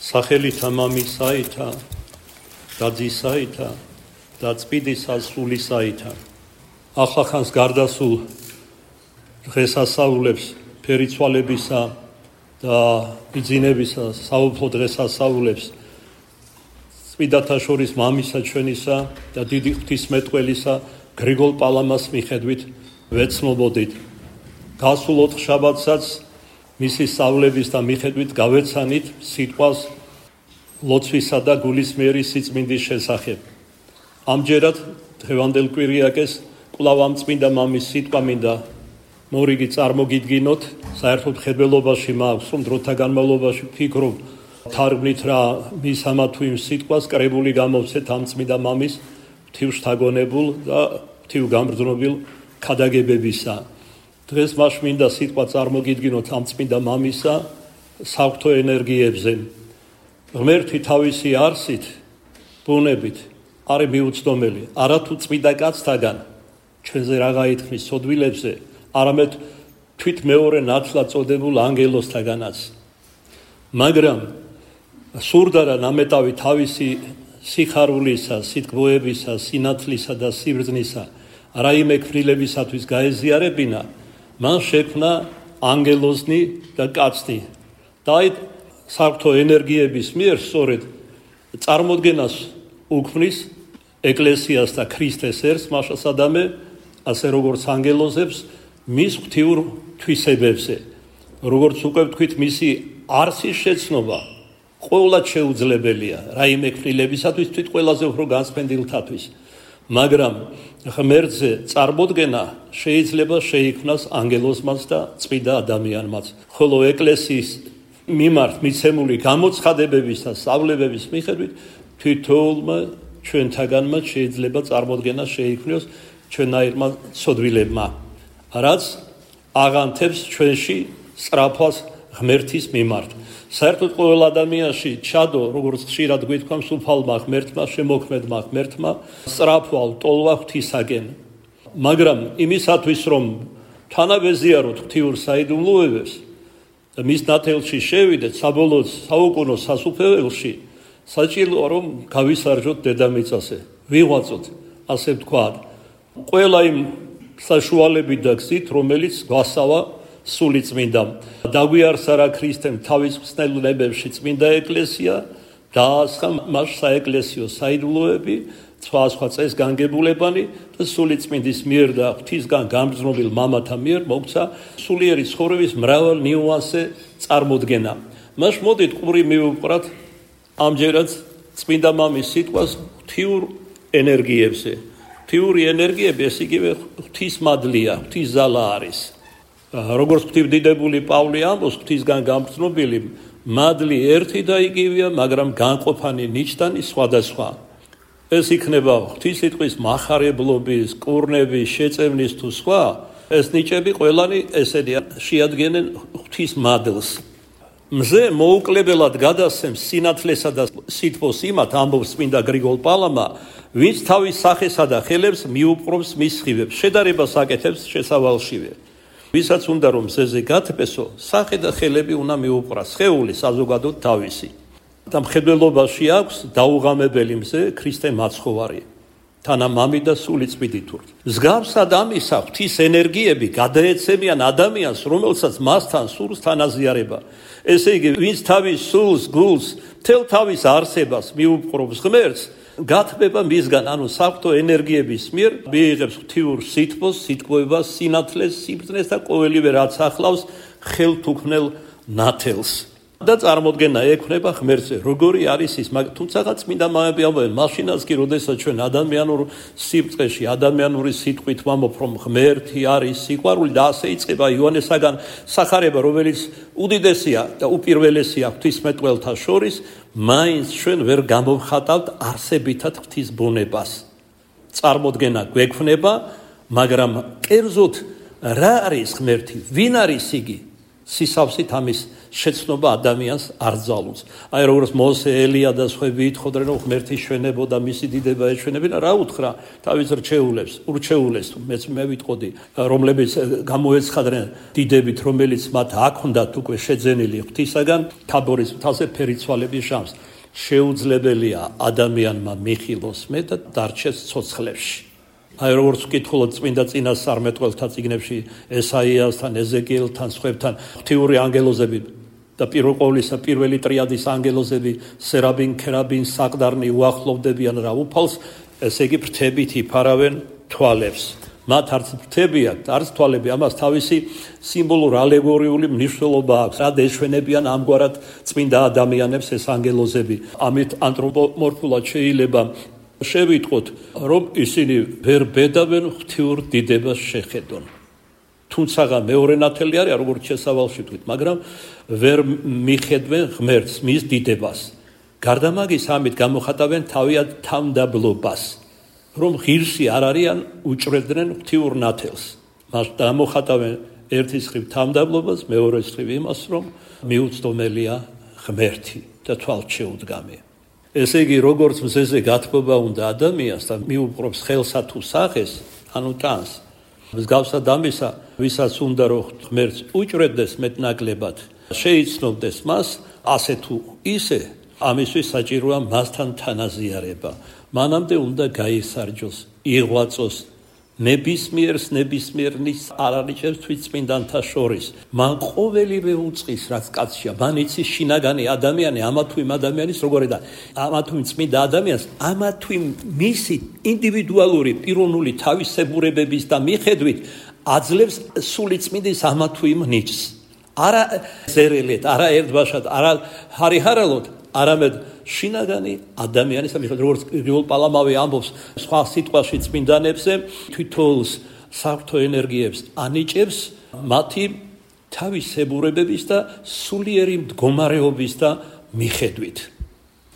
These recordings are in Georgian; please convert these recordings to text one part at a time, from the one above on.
სახელითა მამისაითა და ძისაითა და წმინდისა სულისაითა. ახლახანს გარდასულ დღესასწაულებს, ფერიცვალებისა და ბიძინებისა საუფლო დღესასწაულებს წმინდათა შორის მამისა ჩვენისა და დიდი ღვთისმეტყველისა გრიგოლ პალამას მიხედვით ვეცნობოდით. გასულ ოთხშაბათსაც მისი სწავლების და მიხედვით გავეცანით სიტყვას ლოცვისა და გულისმიერი სიწმინდის შესახებ. ამჯერად დღევანდელ კვირიაკეს კვლავ ამ წმინდა მამის სიტყვა მინდა მორიგი წარმოგიდგინოთ. საერთოდ მხედველობაში მაქვს, რომ დროთა განმავლობაში ვფიქრობ თარგმნით რა მის ამა თუ იმ სიტყვას კრებული გამოვცეთ ამ წმინდა მამის ღვთივშთაგონებულ და ღვთივგამბრძნობილ ქადაგებებისა. დღეს მას მინდა სიტყვა წარმოგიდგინოთ ამ წმინდა მამისა საღვთო ენერგიებზე. ღმერთი თავისი არსით, ბუნებით არის მიუცდომელი. არათუ წმინდა კაცთაგან ჩვენზე რა გაითქმის სოდვილებზე, არამედ თვით მეორე ნათლად წოდებულ ანგელოზთაგანაც. მაგრამ სურდა რა ნამეტავი თავისი სიხარულისა, სიტყვოებისა, სინათლისა და სიბრძნისა რაიმე ქმნილებისათვის გაეზიარებინა, მან შექმნა ანგელოზნი და კაცნი. და აი საღვთო ენერგიების მიერ სწორედ წარმოდგენას უქმნის ეკლესიას და ქრისტეს ერს, მაშასადამე, ასე როგორც ანგელოზებს, მის ღვთიურ თვისებებზე. როგორც უკვე ვთქვით, მისი არსის შეცნობა ყოველად შეუძლებელია რაიმე ქმნილებისათვის, თვით ყველაზე უფრო განსფენდილთათვის. მაგრამ ღმერთზე წარმოდგენა შეიძლება შეიქმნას ანგელოზმაც და წმინდა ადამიანმაც. ხოლო ეკლესიის მიმართ მიცემული გამოცხადებების და სწავლებების მიხედვით თითოეულმა ჩვენთაგანმა შეიძლება წარმოდგენა შეიქმნოს ჩვენაირმა ცოდვილებმა, რაც აღანთებს ჩვენში სწრაფვას ღმერთის მიმართ. საერთოდ ყოველ ადამიანში ჩადო, როგორც ხშირად გვითქვა, მსუფალმა ღმერთმა, შემოქმედმა ღმერთმა სწრაფვალ ტოლვა ღვთისაკენ. მაგრამ იმისათვის, რომ თანავეზიაროთ ღვთიურ საიდუმლოებებს და მის ნათელში შევიდეთ საბოლოოდ საუკუნო სასუფეველში, საჭიროა რომ გავისარჯოთ დედამიწაზე, ვიღვაწოთ, ასე ვთქვათ, ყველა იმ საშუალებით და გზით, რომელიც გვასავა სული წმინდამ. დაგვიარსა რა ქრისტემ თავის ხსნელებებში წმინდა ეკლესია, დაასხა მას საეკლესიო საიდუმლოები, სხვა წესგანგებულებანი და სული წმინდის მიერ და ღვთისგან გამგრძნობილ მამათა მიერ მოგცა სულიერი ცხოვრების მრავალ ნიუანსზე წარმოდგენა. მას მოდით ყური მივუყრათ ამჯერად წმინდა მამის სიტყვას ღვთიურ ენერგიებზე. ღვთიური ენერგიები ეს იგივე ღვთისმადლია, ღვთისძალა არის. როგორც ღვთივდიდებული პავლე ამბობს, ღვთისგან გამგრძნობილი მადლი ერთი და იგივეა, მაგრამ განყოფანი ნიჭდანი სხვადასხვა. ეს იქნება ღვთისიტყვის მახარებლობის, კურნების, შეწევნის თუ სხვა, ეს ნიჭები ყველანი ესენი შეადგენენ ღვთისმადლს. მზე მოუკლებელად გადასცემს სინათლესა და სითბოს იმათ, ამბობს წმინდა გრიგოლ პალამა, ვინც თავის სახესა და ხელებს მიუპყრობს მის სხივებს, შედარებას აკეთებს შესავალშივე. ვისაც უნდა რომ მზეზე გათბესო, სახე და ხელები უნდა მიუპყრას, სხეული საზოგადოდ თავისი. და მხედველობაში აქვს დაუღამებელი მზე ქრისტე მაცხოვარი, თანა მამი და სული წმინდითურთ. მსგავსად ამისა ღვთის ენერგიები გადაეცემიან ადამიანს, რომელსაც მასთან სურს თანაზიარება. ესე იგი, ვინც თავის სულს, გულს, მთელ თავის არსებას მიუპყრობს ღმერთს, გათბება მისგან, ანუ საღვთო ენერგიების მიერ მიიღებს ღვთიურ სითბოს, სიტყვებას, სინათლეს, სიბრძნეს და ყოველივე რაც ახლავს ხელთუქმნელ ნათელს. და წარმოდგენა ექნება ღმერთზე, როგორი არის ის. თუმცა წმინდა მამები ამბობენ, მაშინაც კი, როდესაც ჩვენ ადამიანურ სიბწყეში, ადამიანური სიტყვით ვამბობ, რომ ღმერთი არის სიყვარული და ასე იწყება იოანესაგან სახარება, რომელიც უდიდესია და უპირველესია ღვთისმეტყველთა შორის, მაინც ჩვენ ვერ გამოვხატავთ არსებითად ღვთის ბუნებას. წარმოდგენა გვექნება, მაგრამ კერძოდ რა არის ღმერთი, ვინ არის იგი? სისავსით ამის შეცნობა ადამიანს არ ძალუძს. აი როგორც მოსე, ელია და სხვები ითხოვდნენ, რომ ღმერთი შვენებოდა, მისი დიდება ეჩვენებინა, რა უთხრა თავის ურჩეულებს, მეც მე ვიტყოდი, რომლებიც გამოეცხადნენ დიდებით, რომელიც მათ აქონდათ უკვე შეძენილი ღვთისაგან, თაბორის მთაზე ფერიცვალების ჟამს. შეუძლებელია ადამიანმა მიხილოს მე და დარჩეს ცოცხლებში. აი როგორც ვკითხულობთ წმინდა წინასწარმეტყველთა წიგნებში ესაიასთან, ეზეკიელთან, სხვებთან, ღვთიური ანგელოზები და პირველ ყოვლისა პირველი ტრიადის ანგელოზები, სერაბინ, ქერაბინ, საკდარნი უახლოვდებიან რა უფალს, ესე იგი ფრთებით იფარავენ თვალებს. მათ არც ფრთები აქვთ, არც თვალები, ამას თავისი სიმბოლურ ალეგორიული მნიშვნელობა აქვს. რად ეშვენებიან ამგვარად წმინდა ადამიანებს ეს ანგელოზები. ამით ანთროპომორფულად შეიძლება შევიტყოთ, რომ ისინი ვერ ბედავენ ღვთიურ დიდებას შეხედონ. თუმცა მეორე ნათელი არის, როგორც შესავალში ვთქვით, მაგრამ ვერ მიხედვენ ღმერთს, მის დიდებას. გარდა მაგის, ამით გამოხატავენ თავიანთ თავმდაბლობას, რომ ღირსი არ არიან, უჭრედნენ ღვთიურ ნათელს. მას გამოხატავენ ერთის მხრივ თავმდაბლობას, მეორეს მხრივ იმას, რომ მიუწვდომელია ღმერთი და თვალშეუდგამია. ესე იგი, როგორც მზეზე გათბობა უნდა ადამიანს და მიუპყრობს ხელსა თუ სახეს, ანუ ტანს, მსგავსად ამისა, ვისაც უნდა რომ ღმერთს უჭრედეს მეტნაკლებად, შეიცნობდეს მას, ასე თუ ისე, ამისთვის საჭიროა მასთან თანაზიარება. მანამდე უნდა გაისარჯოს, იღვაწოს, ნებისმიერს არ არიჭერს თვითწმინდანთა შორის. მან ყოველივე უწყის, რაც კაცშია, მან იცის შინაგანი ადამიანი, ამა თუ იმ ადამიანის როგორი და ამა თუ იმ წმინდა ადამიანს, ამა თუ იმ მისი ინდივიდუალური პიროვნული თავისებურებების და მიხედვით აძლევს სული წმინდის ამა თუ იმ ნიჭს. არა ზერელეთ, არა ერთბაშად, არა ჰარიჰარალოდ, არამედ შინაგანი ადამიანის მიხედვით, როგორც გრიგოლ პალამავი ამბობს სხვა სიტყვაში წმინდანებზე, თვითონს საღვთო ენერგიებს ანიჭებს მათი თავისებურებების და სულიერი მდგომარეობის და მიხედვით.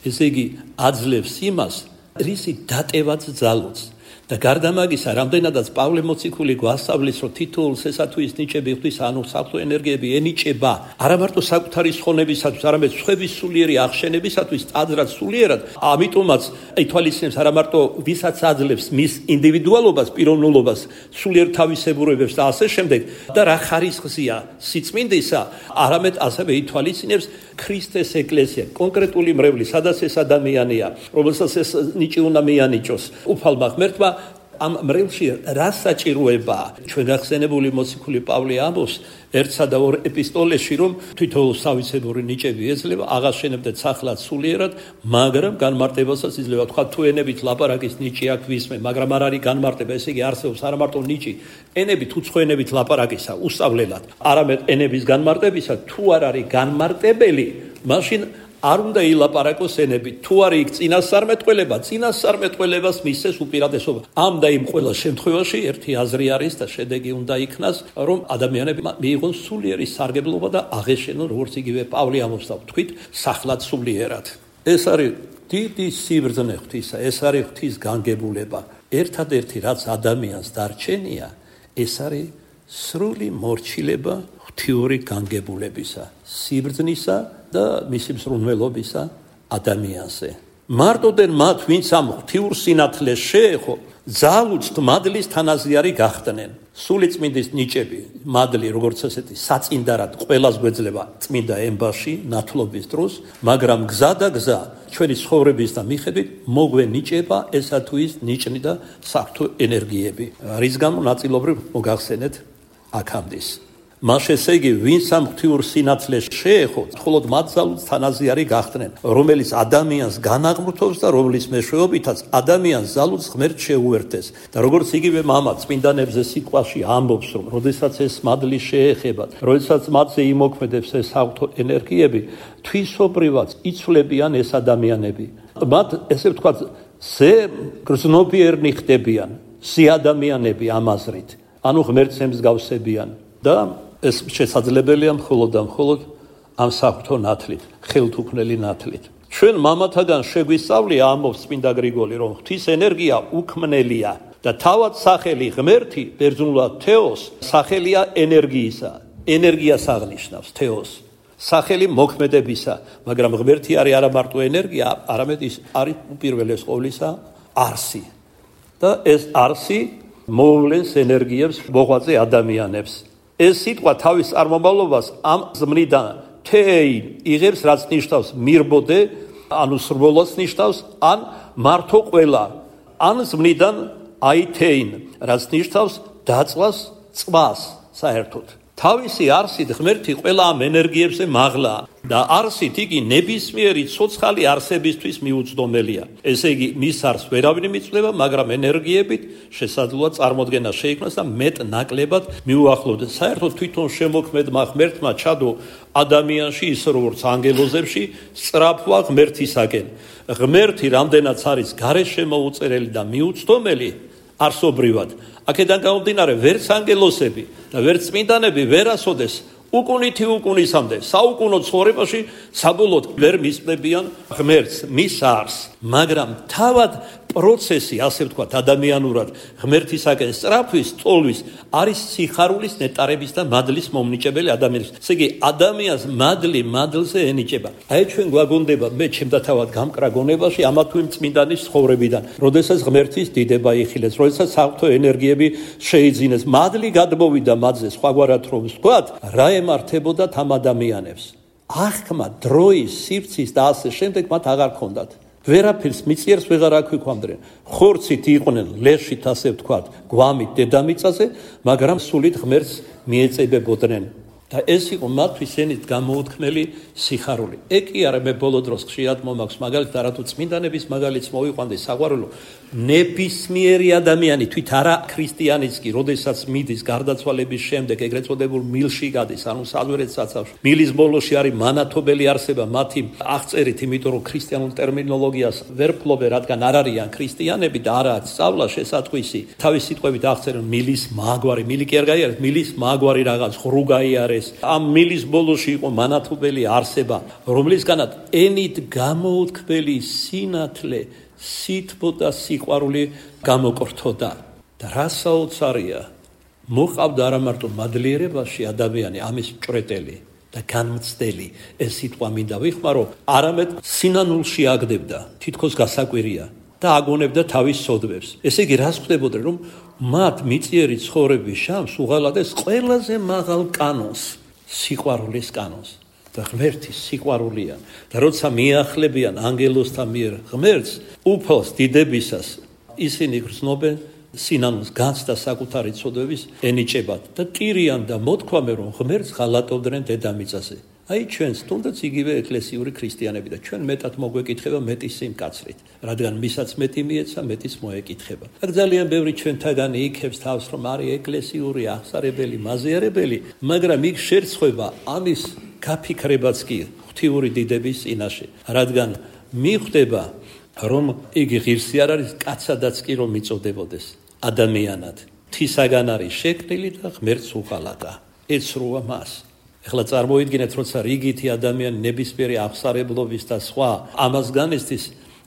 ესე იგი, აძლევს იმას, რისი დატევაც ძალუძს. და გარდა მაგისა, რამდენადაც პავლე მოციქული გვასწავლის, რომ თითოეულს ესა თუ ის ნიჭები ღვთის, ანუ საღვთო ენერგიები ენიჭება, არა მარტო საკუთარი ხონებისათვის, არამედ სხვების სულიერი აღშენებისათვის, ტაძრად სულიერად, ამიტომაც ითვალისწინებს არა მარტო ვისაც აძლევს მის ინდივიდუალობას, პიროვნულობას, სულიერ თავისებურებებს და ასე შემდეგ, და რა ხარისხია სიწმინდისა, არამედ ასევე ითვალისწინებს ქრისტეს ეკლესია, კონკრეტული მრევლი, სადაც ეს ადამიანია, რომელსაც ეს ნიჭი უნდა მიანიჭოს, უფალმა ღმერთმა ამ მრევლში რა საჭიროებაა? ჩვენ გახსენებული მოციქული პავლე ამბობს ერთსა და ორ ეპისტოლეში, რომ თვითოულ თავისებური ნიჭები ეძლევა, აღაშენებდეთ სახლად სულიერად, მაგრამ განმარტებასაც იძლევა. თქვა თუ ენებით ლაპარაკის ნიჭი აქ ვისმე, მაგრამ არ არის განმარტება, ესე იგი არსებობს არა მარტო ნიჭი, ენებით უცხო ენებით ლაპარაკისა უსწავლელად, არამედ ენების განმარტებისა, თუ არ არის განმარტებელი, მაშინ არ უნდა ილაპარაკოს ენებით. თუ არის იქ წინასწარმეტყველებას მისცეს უპირატესობა. ამ და იმ ყველა შემთხვევაში ერთი აზრი არის და შედეგი უნდა იქნას, რომ ადამიანები მიიღონ სულიერი სარგებლობა და აღეშენონ, როგორც იგივე პავლე ამბობს და ვთქვით, სახლად სულიერად. ეს არის დიდი სიბრძნე ღვთისა, ეს არის ღვთის განგებულება. ერთადერთი რაც ადამიანს დარჩენია, ეს არის სრული მორჩილება ღვთიური განგებულებისა, სიბრძნისა და მისი მსრულნელობისა ადამიანზე. მარტოდენ მათ, ვინც ამ ღვთიურ სინათლეს შეეხო, ძალუძთ მადლის თანაზიარი გახდნენ. სული წმინდის ნიჭები, მადლი როგორც ასეთი საწინდარად ყველას გვეძლება წმინდა ემბაში, ნათლობის დროს, მაგრამ გზა და გზა ჩვენი ცხოვრების და მიხედვით მოგვენიჭება ესა თუ ის ნიჭნი და საღვთო ენერგიები. რის გამო ნაწილობრივ მოგახსენეთ აქამდე. მას ესე იგი, ვინც ამ ღვთიურ სინათლეს შეეხო, მხოლოდ მათ ძალუძს თანაზიარი გახდნენ, რომელიც ადამიანს განაღმრთობს და რომლის მეშვეობითაც ადამიანს ძალუძს ღმერთს შეუერთეს. და როგორც იგივე მამა წმინდანებზე სიტყვაში ამბობს, რომ როდესაც ეს მადლი შეეხებათ, როდესაც მათზე იმოქმედებს ეს საღვთო ენერგიები, თვისობრივად იცვლებიან ეს ადამიანები. მათ ესე ვთქვათ, გრძნობიერნი ხდებიან, ადამიანები ამ აზრით, ანუ ღმერთს ემსგავსებიან და ეს შესაძლებელია მხოლოდ და მხოლოდ ამ საღვთო ნათლით, ხელთუქმნელი ნათლით. ჩვენ მამათაგან შეგვისწავლია, ამბობს წმინდა გრიგოლი, რომ ღვთის ენერგია უქმნელია და თავად სახელი ღმერთი, ბერძნულად თეოს, სახელია ენერგიისა. ენერგიას აღნიშნავს თეოს. სახელი მოქმედებისა, მაგრამ ღმერთი არის არა მარტო ენერგია, არამედ ის არის უპირველეს ყოვლისა არსი. და ეს არსი მოვლენს ენერგიებს მოღვაწე ადამიანებს. ეს სიტყვა თავის წარმომავლობას ამ ზმნიდან თეინ იღებს, რაც ნიშნავს მირბოდე, ანუ სრბოლას ნიშნავს, ან მართო ყველა, ან ზმნიდან აითეინ, რაც ნიშნავს დაწვას, წყвас საერთოდ. თავისი არსით ღმერთი ყველა ამ ენერგიებზე მაღლა და არსით იგი ნებისმიერი ცოცხალი არსებისთვის მიუწვდომელია. ესე იგი, მის არსს ვერავინ მიწვდება, მაგრამ ენერგიებით შესაძლოა წარმოდგენა შეიქმნას და მეტ-ნაკლებად მიუახლოვდეს. საერთოდ თვითონ შემოქმედმა ღმერთმა ჩადო ადამიანში ის როგორც ანგელოზებში სწრაფვა ღმერთისაკენ. ღმერთი რამდენაც არის გარეშემოუწერელი და მიუწვდომელი არსობრივად, აქედან გამომდინარე ვერც ანგელოსები და ვერც წმინდანები ვერასოდეს უკუნითი უკუნისამდე საუკუნო ცხოვრებაში საბოლოოდ ვერ მისწვდებიან ღმერთს, მის არსს, მაგრამ თავად პროცესი, ასე ვთქვათ, ადამიანურად ღმერთისაკენ სწრაფვის, წოლვის არის სიხარულის ნეტარების და მადლის მომნიჭებელი ადამიანის. ესე იგი, ადამიანს მადლზე ენიჭება. აი ჩვენ გვაგონდება, მე ჩემდა თავად გამკრა გონებაში ამა თუ იმ წმინდანის ცხოვრებიდან, როდესაც ღმერთის დიდება იხილეს, როდესაც საღვთო ენერგიები შეიძინეს, მადლი გადმოვიდა მათზე, სხვაგვარად რომ ვთქვათ, რა ემართებოდათ ამ ადამიანებს. აღქმა, დროის, სივრცის და ასე შემდეგ მათ აღარ ჰქონდათ. ვერაფერს მიწიერს ვეღარ აქვიქვამდნენ. ხორცით იყვნენ, ლეშით ასე ვთქვათ, გვამით დედამიწაზე, მაგრამ სულით ღმერთს მიეწებებოდნენ. და ეს იყო მათთვის ენით გამოუთქმელი სიხარული. ეგ კი არა, მე ბოლო დროს ხშირად მომაქვს მაგალითად, არათუ წმინდანების მაგალითს მოვიყვანდი საყვარელო, ნებისმიერი ადამიანი, თვით არა ქრისტიანიც კი, როდესაც მიდის გარდაცვალების შემდეგ ეგრეთ წოდებულ მილში გადის, ანუ საძვერეთ საცავში. მილის ბოლოში არის მანათობელი არსება, მათი აღწერით, იმიტომ რომ ქრისტიანულ ტერმინოლოგიას ვერ ფლობენ, რადგან არ არიან ქრისტიანები და არა სწავლა შესატყვისი. თავის სიტყვებით აღწერენ მილის მაგვარი, მილი კი არ გაიარეს, მილის მაგვარი რაღაც ღრუ გაიარეს. ამ მილის ბოლოში იყო მანათობელი არსება, რომლისგანაც ენით გამოუთქმელი სინათლე, სითბო და სიყვარული გამოკრთოდა. და რა საოცარია, მოყავდა არა მარტო მადლიერებაში ადამიანი, ამის მჭრეტელი და განმცდელი, ეს სიტყვა მინდა ვიხმარო, არამედ სინანულში აგდებდა, თითქოს გასაკვირია და აგონებდა თავის სოდვებს. ესე იგი, რას ხდებოდა, რომ მათ მიწიერი ცხოვრების შამს უღალატეს ყველაზე მაღალ კანონს, სიყვარულის კანონს. და ღმერთის სიყვარულია და როცა მიახლებიან ანგელოსთა მიერ ღმერთს, უფალს დიდებისას, ისინი გრძნობენ სინანულს, განს და საკუთარი ცოდვების ენიჭებათ და ტირიან და მოთქვამენ, რომ ღმერთს ღალატობდნენ დედამიწაზე. აი ჩვენს თუნდაც იგივე ეკლესიური ქრისტიანები და ჩვენ მეტად მოგვეკითხება მეტის სიმკაცრით, რადგან მისაც მეტი მიეცა, მეტის მოეკითხება. აქ ძალიან ბევრი ჩვენთაგანი იქებს თავს, რომ არის ეკლესიური, აღსარებელი, მაზიარებელი, მაგრამ იქ შერცხვება ამის გაფიქრებაც კი ღვთიური დიდების წინაშე, რადგან მიხვდება, რომ იგი ღირსი არ არის კაცადაც კი რომ მიწოდებოდეს ადამიანად. თისაგან არის შექმნილი და ღმერთს უღალატა. ეცრუა მას. ეხლა წარმოიდგინეთ, როცა რიგითი ადამიანი ნებისმიერი აღსარებლობის და სხვა ამას განესწრის,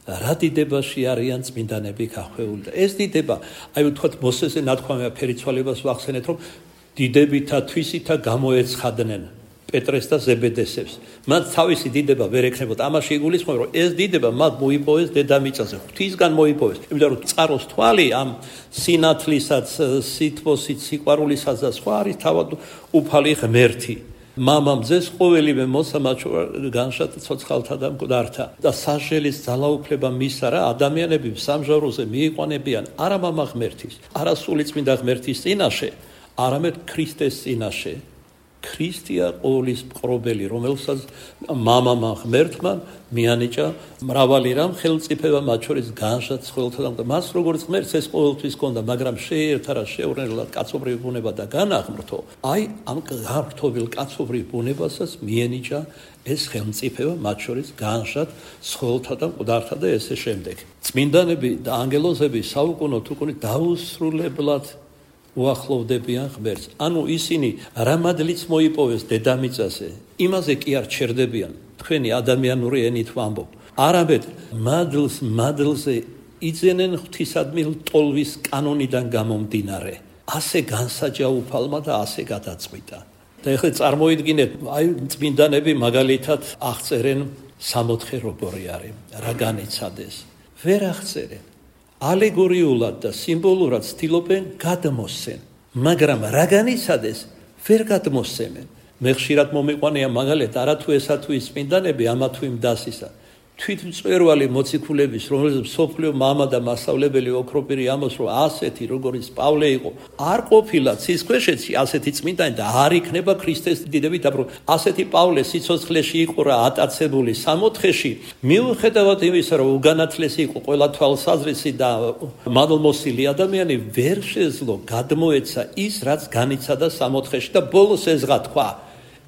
რა დიდებაში არიან წმინდანები გახვეული. და ეს დიდება, აი ვთქვათ, მოსესე ნათქვამია ფერიცვალებას ვახსენეთ, რომ დიდებითა თვისითა გამოეცხადნენ პეტრეს და ზებედესებს. მათ თავისი დიდება ვერ ექნებოდა. ამაში იგულისხმება, რომ ეს დიდება მათ მოიპოვეს დედამიწაზე, ღვთისგან მოიპოვეს. იმიტომ რომ წყაროს თვალი ამ სინათლისაც, სითბოსით, სიყვარულისაც და სხვა არის თავად უფალი ღმერთი. მამამ ძეს ყოველივე მოსამაჩო განშად ცოცხალთა და მკვდართა და სასჯელის ძალაუფლება მისცა რა ადამიანები სამჟაროზე მიიყვანებიან არა მამა ღმერთის, არა სულიწმინდა ღმერთის წინაშე, არამედ ქრისტეს წინაშე. ქრისტია ყოვლის მყრობელი, რომელსაც მამამა ღმერთმა მიანიჭა მრავალი რამ ხელმწიფება, მათ შორის განშად ცხოველთა და მას როგორც ღმერთს ეს ყოველთვის ჰქონდა, მაგრამ შეერთა რა შეურნებლად კაცობრივი ბუნება და განაღმრთო. აი ამ გართობილ კაცობრივ ბუნებასაც მიენიჭა ეს ხელმწიფება, მათ შორის განშად ცხოველთა და მკვდართა და ესე შემდეგ. წმინდანები და ანგელოზები საუკუნოდ უკუნი დაუსრულებლად უახლოვდებიან ღმერთს. ანუ ისინი რა მადლიც მოიპოვეს დედამიწაზე, იმაზე კი არ ჩერდებიან, თქვენი ადამიანური ენით ვამბობ. არამედ მადლზე იძენენ ღვთისადმი ტოლვის კანონიდან გამომდინარე. ასე განსაჯა უფალმა და ასე გადაწყვიტა. და ეხლა წარმოიდგინეთ, აი წმინდანები მაგალითად აღწერენ 64 როგორი არის, რა განიცადეს. ვერ აღწერენ. ალეგორიულად და სიმბოლურად ცდილობენ გადმოსცენ, მაგრამ რა განიცადეს, ვერ გადმოსცემენ. მე ხშირად მომიყვანია მაგალითად არათუ ესა თუ ის წმინდანები ამა თუ იმ დასისა. თვითმწვერვალი მოციქულების, რომელზეც სოფლიო მამა და მასწავლებელი ოქროპირი ამბობს, რომ ასეთი როგორც პავლე იყო, არ ყოფილა ცისქვეშეთში ასეთი წმინდანი და არ იქნება ქრისტეს დიდები დაბრუნ. ასეთი პავლე სიცოცხლეში იყო რა ატაცებული 64-ში, მიუხედავად იმისა, რომ უგანათლესი იყო ყველა თვალსაზრისი და მადლმოსილი ადამიანი, ვერ შეძლო გადმოეცა ის, რაც განიცადა 64-ში და ბოლოს ეზღა თქვა,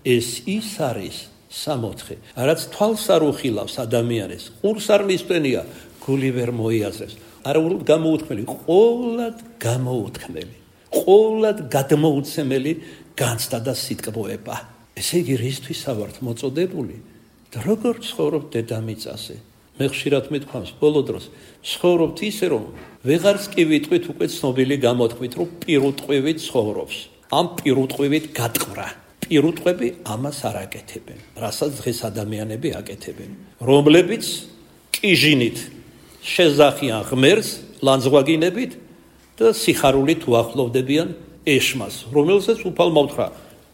ეს ის არის 64, რაც თვალს არ უხილავს ადამიანის, ყურს არ მისვენია, გული ვერ მოიაზრებს. არაუროდ გამოუთქმელი, ყოვლად გამოუთქმელი, ყოვლად გადმოუცემელი განცდა და სიტყვოება. ესე იგი, რისთვის ავართ მოწოდებული და როგორ ცხოვრობთ დედამიწაზე? მე ხშირად მithქვამს ბოლო დროს, ცხოვრობთ ისე, რომ ვეღარც კი ვიტყვით უკვე ცნობილი გამოთქვით, რომ პირუტყვივით ცხოვრობს, ამ პირუტყვივით გატყვრა. პირუტყვები ამას არ აკეთებენ, რასაც დღეს ადამიანები აკეთებენ, რომლებიც კიჟინით შეზახიან ღმერთს ლანძღვაგინებით და სიხარულით უახლოვდებიან ეშმას, რომელსაც უფალმა უთხრა,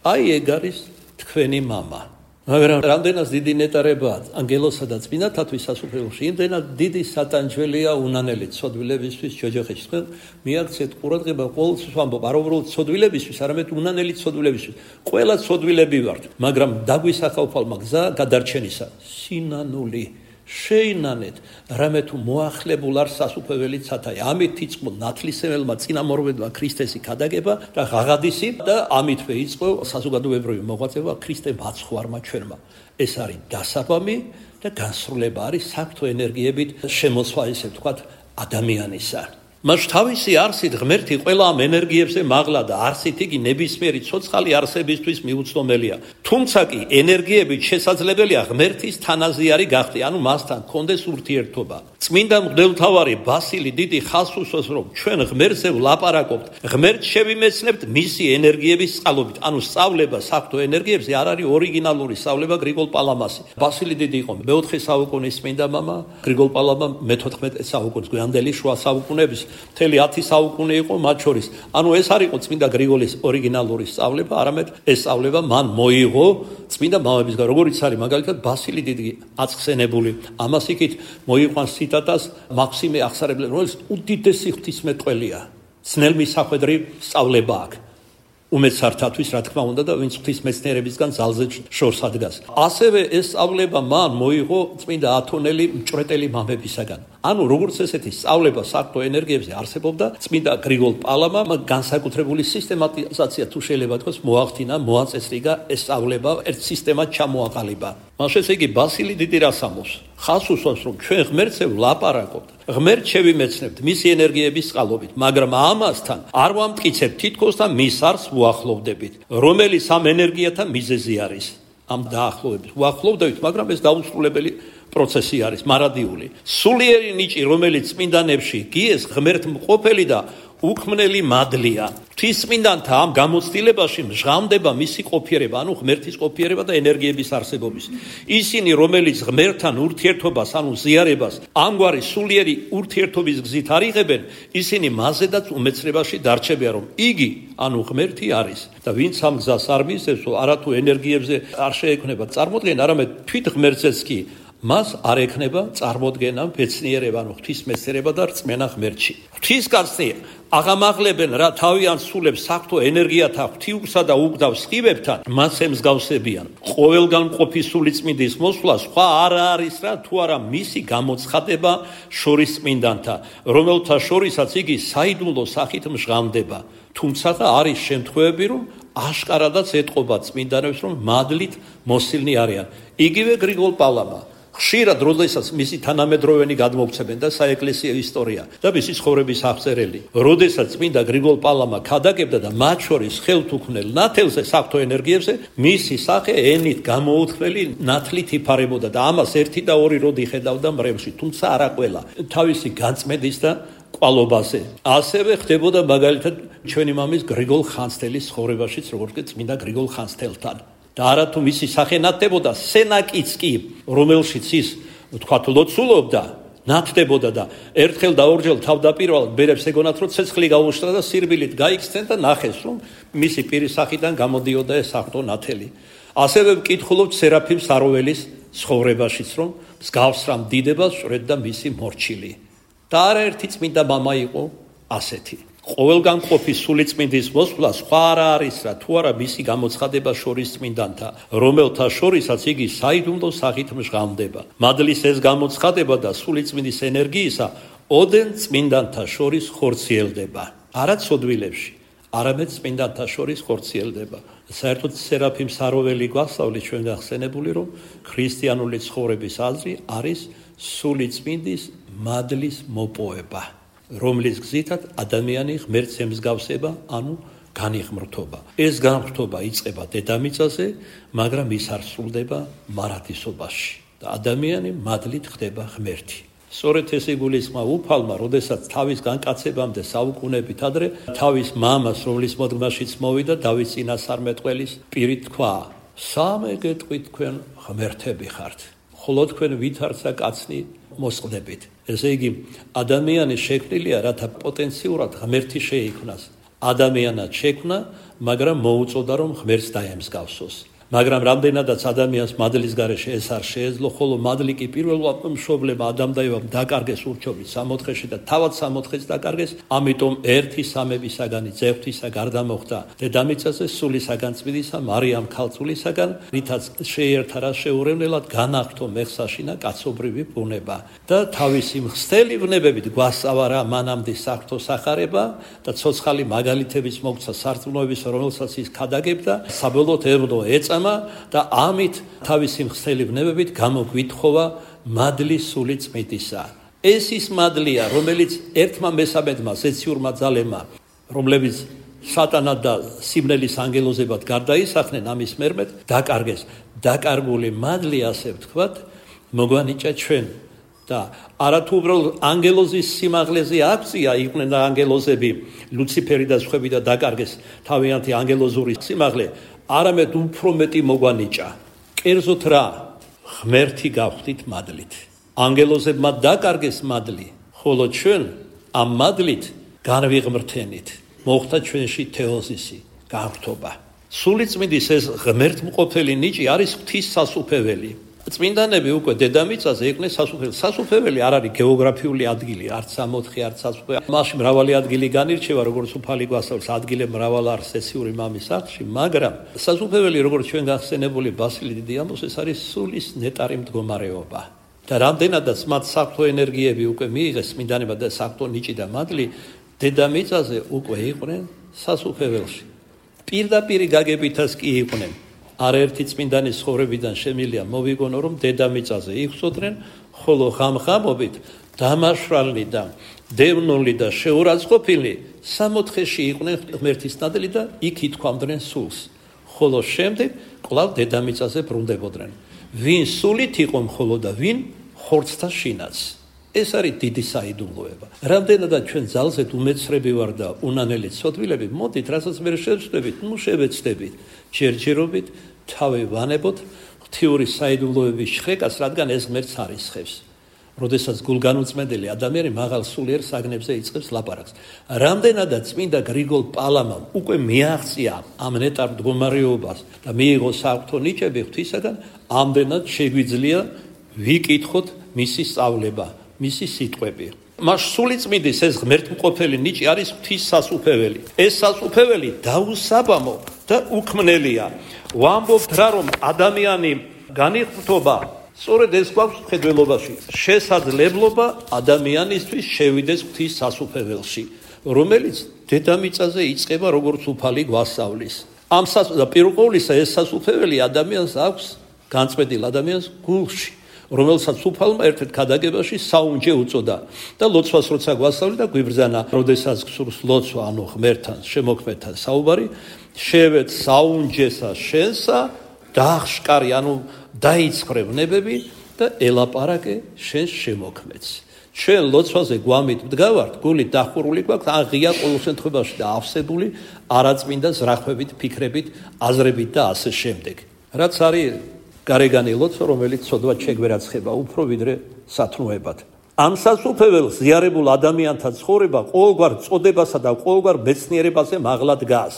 აი ეგ არის თქვენი მამა. მაგრამ რამდენად დიდი ნეტარებაა ანგელოსა და წმინდანთათვის სასუფეველში, იმდენად დიდი სატანჯველია უნანელი ცოდვილებისთვის ჯოჯოხეთში. თქვენ მიაქცეთ ყურადღება, ყოველთვის ვამბობ, არ უბრალოდ ცოდვილებისთვის, არამედ უნანელი ცოდვილებისთვის. ყველა ცოდვილები ვართ, მაგრამ დაგვისახავ გზა გადარჩენისა, სინანული. შეინანეთ, რამე თუ მოახლებულ არ სასუფეველი ცათაი. ამით იწყო ნათლისმცემელმა წინამორბედმა ქრისტესი ქადაგება და ღაღადისი და ამითვე იწყო საზოგადოებრივი მოღვაწეობა ქრისტე მაცხვარმა ჩვენმა. ეს არის დასაბამი და განსრულება არის საქმთო ენერგიებით შემოსვა, ესე ვთქვათ, ადამიანისა. მას თავისი არსით ღმერთი ყველა ამ ენერგიებზე მაღლა და არსით იგი ნებისმიერი ცოცხალი არსებისთვის მიუცდომელია. თუმცა კი ენერგიებით შესაძლებელია ღმერთის თანაზიარი გახდე, ანუ მასთან კონდეს ურთიერთობა. წმინდა მღვდელმთავარი ბასილი დიდი ხაზს უსვამს, რომ ჩვენ ღმერთზე ვლაპარაკობთ, ღმერთს შევიმეცნებთ მისი ენერგიების წყალობით. ანუ სწავლება საქმთო ენერგიებზე არ არის ორიგინალური სწავლება გრიგოლ პალამასი. ბასილი დიდი იყო მე-4 საუკუნის წმინდა მამა, გრიგოლ პალამა მე-14 საუკუნის გვიანდელი შუა საუკუნეების მთელი 10 საუკუნე იყო მათ შორის. ანუ ეს არ იყო წმინდა გრიგოლის ორიგინალური სწავლება, არამედ ეს სწავლება მან მოიღო წმინდა მამებისგან, როგორიც არის მაგალითად ბასილი დიდი აცხსენებული. ამას იქით მოიყვანს ციტატას მაქსიმე ახსარებლე, რომელიც უდიდესი ღვთისმეტყველია. ძნელმისახვედრი სწავლება აქვს. უმეცართათვის, რა თქმა უნდა, და ვინც ღვთისმეცნიერებისგან ძალზე შორს ადგას. ასევე ეს სწავლება მან მოიღო წმინდა ათონელი მჭვრეტელი მამებისაგან. ანუ როგორც ესეთი სწავლება საქმთო ენერგიებზე არსებობდა, წმინდა გრიგოლ პალამა განსაკუთრებული სისტემატიზაცია თუ შეიძლება თქვას მოახდინა, მოაწესრიგა ეს სწავლება, ერთ სისტემად ჩამოაყალიბა. მაშინ ესე იგი ბასილი დიდი რას ამბობს? ხაზს უსვამს, რომ ჩვენ ღმერთზე ვლაპარაკობთ, ღმერთს შევიმეცნებთ მისი ენერგიების წყალობით, მაგრამ ამასთან არ ვამტკიცებთ თითქოს და მის არს უახლოვდებით, რომელიც ამ ენერგიათა მიზეზი არის. ამ დაახლოებით უახლოვდებით, მაგრამ ეს დაუსრულებელი პროცესი არის, მარადიული. სულიერი ნიჭი, რომელიც წმინდანებში გიეს, ღმერთმყოფელი და უქმნელი მადლია. ღვთისმინდანთა ამ გამოცდილებაში მჟღავდება მისი ყოფიერება, ანუ ღმერთის ყოფიერება და ენერგიების არსებობის. ისინი, რომელიც ღმერთთან ურთიერთობას, ანუ ზიარებას, ამგვარი სულიერი ურთიერთობის გზით არიღებენ, ისინი მასზედაც უმეცრებაში დარჩებიან, რომ იგი, ანუ ღმერთი არის. და ვინც ამ გზას არ მისდევს, არათუ ენერგიებზე არ შეექმნება წარმოდგენა, არამედ თვით ღმერთზეც კი მას არ ექნება წარმოდგენა, ბეცნიერება, ანუ ღვთისმეცნიერება და რწმენა ღმერთში. ღვთისკაცნი აღამაღლებენ რა თავიანთ სულებს საქმთო ენერგიათა ღვთიურსა და უგდავ სხივებთან, მას ემსგავსებიან. ყოველგან მყოფი სული წმინდის მოსვლა სხვა არ არის რა თუ არა მისი გამოცხადება შორის წმინდანთა, რომელთა შორისაც იგი საიდუმლო სახით მჟღავდება. თუმცა არის შემთხვევები, რომ აშკარადაც ეტყობა წმინდანებს, რომ მადლით მოსილნი არიან. იგივე გრიგოლ პალამა ხშირად როდესაც მისი თანამედროვენი გადმოგვცემენ და საეკლესიო ისტორია და მისი ცხოვრების აღწერელი, როდესაც წმინდა გრიგოლ პალამა ქადაგებდა და მათ შორის ხელთუქმნელ ნათელზე საქმთო ენერგიებზე, მისი სახე ენით გამოუთქმელი ნათლით იფარებოდა და ამას 1 და 2 როდი ხედავდა მრევლში, თუმცა არა ყველა. თავისი განწმენდის და კვალობაზე. ასევე ხდებოდა მაგალითად ჩვენი მამის გრიგოლ ხანძთელის ცხოვრებაშიც, როგორც კი წმინდა გრიგოლ ხანძთელთან. და არა თუ მისი სახე ნათდებოდა, სენაკიც კი, რომელშიც ის თქვათ ლოცულობდა, ნათდებოდა და ერთხელ და ორჯერ თავდაპირველად ბერებს ეგონათ, რომ ცეცხლი გაუშტა და სირბილით გაიქცნენ და ნახეს, რომ მისი პირის სახიდან გამოდიოდა ეს აღტო ნათელი. ასევე ვკითხულობთ სერაფიმ საროველის ცხოვრებაშიც, რომ მსგავს რამ დიდებას ჭრედდა მისი მორჩილი. და არაერთი წმინდა მამა იყო ასეთი. ყოველგან ყოფის სულიწმინდის მოსვლა სხვა არა არის რა თუ არა მისი გამოცხადება შორის წმინდანთა, რომელთა შორისაც იგი საიდუმლო სახით მჟღავნდება. მადლის ეს გამოცხადება და სულიწმინდის ენერგიისა ოდენ წმინდანთა შორის ხორციელდება. არა ცოდვილებში, არამედ წმინდანთა შორის ხორციელდება. საერთოდ სერაფიმ საროველი გვასწავლის ჩვენ გახსენებული, რომ ქრისტიანული ცხოვრების აზრი არის სულიწმინდის მადლის მოპოვება, რომლის გზითაც ადამიანი ღმერთს ემსგავსება, ანუ განიღმრთობა. ეს განღრთობა იწყება დედამიწაზე, მაგრამ ის არ სრულდება მარადისობაში და ადამიანი მადლით ხდება ღმერთი. სწორედ ეს იგულისხმა უფალმა, როდესაც თავის განკაცებამდე საუკუნეებით ადრე თავის მამას, რომლის მოდგმაშიც მოვიდა, დავით წინასწარმეტყველის პირით თქვა: სამეგეთყვით თქვენ ღმერთები ხართ, ხოლო თქვენ ვითარცა კაცნი მოსყდებით. ესე იგი, ადამიანი შექმნილია, რათა პოტენციურად ღმერთი შეიქმნას. ადამიანად შექმნა, მაგრამ მოუწოდა, რომ ღმერთს დაემსგავსოს. მაგრამ რამდენადაც ადამიანს მადლის გარეშე ეს არ შეეძლო, ხოლო მადლი კი პირველად მშობლებმა ადამ და ევამ დაკარგეს ურჩობით სამოთხეში და თავად სამოთხეც დაკარგეს, ამიტომ ერთი სამებისაგანი ძევთისა გარდა მოხდა დედამიწაზე სულისაგან წმინდისა მარიამ ქალწულისაგან, რითაც შეერთა რა შეურევნელად განაღთო მეხსაშინა კაცობრივი ბუნება და თავისი მხსთელი ვნებებით გვასწავა რა მანამდე საღვთო სახარება და ცოცხალი მაგალითების მოგცა სარწმუნოების, რომელსაც ის ქადაგებდა, საბოლოოდ ერძო ეწამა და ამით თავისი მხსთელი ვნებებით გამოგვითხოვა მადლი სული წმინდისა. ეს ის მადლია, რომელიც ერთმა მესამედმა ზეციურმა ძალებმა, რომლებიც სატანად და სიმნელის ანგელოზებად გარდაისახნენ, ამის მერმედ დაკარგეს. დაკარგული მადლი, ასე ვთქვათ, მოგვანიჭა ჩვენ და არათუ უბრალოდ ანგელოზის სიმაღლეზე აქცია იყვნენ ანგელოზები, ლუციფერი და სხვები და დაკარგეს თავიანთი ანგელოზური სიმაღლე, არამედ უფრო მეტი მოგვანიჭა. კერძოდ რა, ღმერთი გავხდით მადლით. ანგელოზებმა დაკარგეს მადლი, ხოლო ჩვენ ამ მადლით განვიღმრთენით. მოხდა ჩვენში თეოზისი, განღრთობა. სულიწმინდის ეს ღმერთმყოფელი ნიჭი არის ღვთის სასუფეველი. წმინდანები უკვე დედამიწაზე იყვნენ სასუფეველი. სასუფეველი არ არის გეოგრაფიული ადგილი, არც სამოთხე, არც სასუფეველი. მასში მრავალი ადგილი განირჩევა, როგორც უფალი გვასწავლის, ადგილები მრავალ არის სესიური მამის სახლში, მაგრამ სასუფეველი, როგორც ჩვენ გახსენებული ბასილი დიდი ამბობს, ეს არის სულის ნეტარი მდგომარეობა. და რამდენადაც მათ საღვთო ენერგიები უკვე მიიღეს წმინდანებმა და საღვთო ნიჭი და მადლი, დედამიწაზე უკვე იყვნენ სასუფეველში. პირდაპირ გაგებითაც კი იყვნენ. არაერთი წმინდანის ცხოვრებიდან შემილია მოვიგონო, რომ დედამიწაზე იხსოდნენ, ხოლო ღამღამობით დამაშრალნი და დევნული და შეურაცხყოფილი სამოთხეში იყვნენ ღმერთის ნადელი და იქ ითქვამდნენ სულს, ხოლო შემდეგ კვლავ დედამიწაზე ბრუნდებოდნენ. ვინ სულით იყო მხოლოდ და ვინ ხორცთა შინაც. ეს არის დიდი საიდუმლოება. რამდენადაც ჩვენ ძალზედ უმეცრები ვარ და უნანელი ცოდვილები, მოდით, რასაც მე შევცდებით, შევეცდებით, ჯერჯერობით თავი ვანებოთ ღვთიური საიდუმლოების შრეკას, რადგან ეს ღმერთს არისხებს. როდესაც გულგანუწმენდელი ადამიანი მაღალ სულიერ საგნებზე იწყებს ლაპარაკს. რამდენადაც წმინდა გრიგოლ პალამამ უკვე მიაღწია ამ ნეტარ მდგომარეობას და მიიღო საღვთო ნიჭები ღვთისაგან, ამდენად შეგვიძლია ვიკითხოთ მისი სწავლება, მისი სიტყვები. მას სულიწმინდის ეს ღმერთმყოფელი ნიჭი არის ღვთის სასუფეველი. ეს სასუფეველი დაუსაბამო და უქმნელია. ვამბობთ რა, რომ ადამიანი განიღრთობა, სწორედ ეს გვაქვს მხედველობაში, შესაძლებლობა ადამიანისთვის შევიდეს ღვთის სასუფეველში, რომელიც დედამიწაზე იწყება როგორც უფალი გვასწავლის. ამ პირველყოვლისა ეს სასუფეველი ადამიანს აქვს განწმენდილ ადამიანს გულში, რომელსაც უფალმა ერთ-ერთ ქადაგებაში საუნჯე უწოდა და ლოცვას როცა გვასწავლი და გვიბრძანა, როდესაც გსურს ლოცვა, ანუ ღმერთთან, შემოქმედთან საუბარი, შევეც საუნჯესა შენსა დაახშკარი, ანუ დაიცხრე ვნებები და ელაპარაკე შენს შემოქმედს. ჩვენ ლოცვაზე გვამით ვდგავართ, გულით დახურული გვაქვს, ან ღია ყოველ შემთხვევაში და ავსებული არაწმინდა ზრახვებით, ფიქრებით, აზრებით და ასე შემდეგ. რაც არის გარეგანი ლოცვა, რომელიც ცოდვად შეგვერაცხება უფრო ვიდრე სათნოებად. ამ სასუფეველს ზიარებულ ადამიანთა ცხოვრება ყოველგვარ წოდებასა და ყოველგვარ მეცნიერებაზე მაღლა დგას.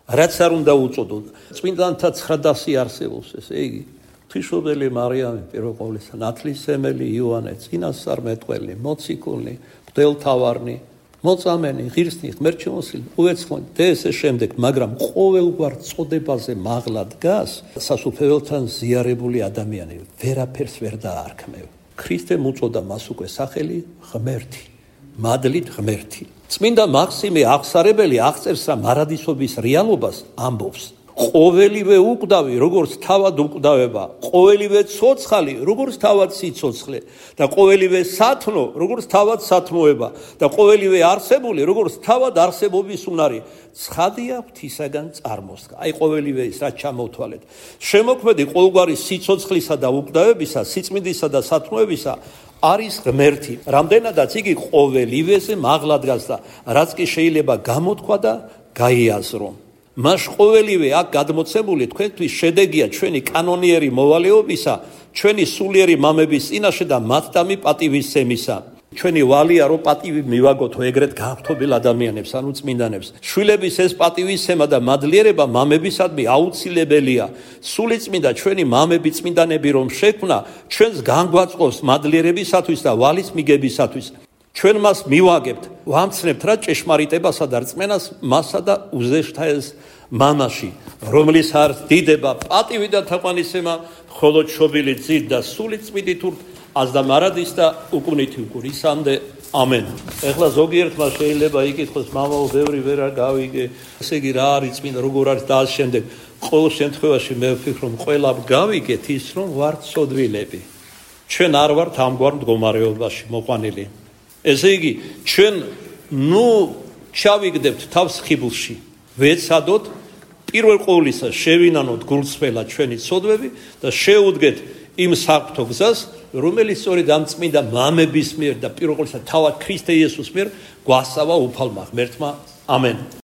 რაც არ უნდა უწოდოთ. წმინდანთა 900 არსებობს, ესე იგი. ღვთისმშობელი მარიამი, პირველ ყოვლისა, ნათლისმცემელი იოანე, წინასწარმეტყველი, მოციქული, მღვდელმთავარი, მოწამენი, ღირსნი, ღმერთშემოსილი, უეცხოვანი და ესე შემდეგ, მაგრამ ყოველგვარ წოდებაზე მაღლა დგას სასუფეველთან ზიარებული ადამიანი, ვერაფერს ვერ დაარქმევ. ქრისტემ უწოდა მას უკვე სახელი ღმერთი, მადლით ღმერთი. წმინდა მაქსიმე აღსარებელი აღწერს რა მარადისობის რეალობას ამბობს. ყოველივე უკვდავი, როგორც თავად უკვდავება, ყოველივე ცოცხალი, როგორც თავად სიცოცხლე და ყოველივე სათნო, როგორც თავად სათნოება და ყოველივე არსებული, როგორც თავად არსებობის უნარი, ცხადია ღვთისაგან წარმოსდგა. აი ყოველივე ის რაც ჩამოვთვალეთ. შემოქმედი ყოველგვარი სიცოცხლისა და უკვდავებისა, სიწმინდისა და სათნოებისა არის ღმერთი. რამდენადაც იგი ყოველივეზე მაღლა დგას და რაც კი შეიძლება გამოთქვა და გაიაზრო. მას ყოველივე აქ გადმოცემული თქვენთვის შედეგია ჩვენი კანონიერი მოვალეობისა, ჩვენი სულიერი მამების წინაშე და მათდამი პატივისცემისა. ჩვენი ვალია რომ პატივი მივაგოთო ეგრეთ გააღვთობილ ადამიანებს, ანუ წმინდანებს. შვილების ეს პატივისცემა და მადლიერება მამებისადმი აუცილებელია. სულიწმინდა ჩვენი მამები წმინდანები რომ შექმნა, ჩვენს განგვაწყობს მადლიერებისათვის და ვალის მიგებისათვის. ჩვენ მას მივაგებთ, ვამცნებთ რა ჭეშმარიტებასა და რწმენას მასა და უზეშთა ეს მამაში, რომლის არ დიდება, პატივი და თაყვანისცემა, ხოლო ჩობილი ძით და სული წმინდით ურთ, აზდა მარადის და უკუნითი უკურისამდე. ამენ. ეხლა ზოგიერთმა შეიძლება იკითხოს, მამაო, ბევრი ვერ გავიგე, ესე იგი რა არის წმინდა, როგორ არის და ამ შემდეგ. ყოველ შემთხვევაში მე ვფიქრობ, ყველა გავიგეთ ის, რომ ვართ სოდვილები. ჩვენ არ ვართ ამგვარ მდგომარეობაში მოყვანილი. ესე იგი, ჩვენ ჩავიგდებთ თავს ხიბლში, ვეცადოთ პირველ ყოვლისა შევინანოთ გულწრფელად ჩვენი ცოდვები და შეუდგეთ იმ საფრთხო გზას, რომელიც სწორედ ამ წმინდა მამების მიერ და პირველ ყოვლისა თავად ქრისტე იესოს მიერ გვასწავა უფალმა ღმერთმა. ამენ.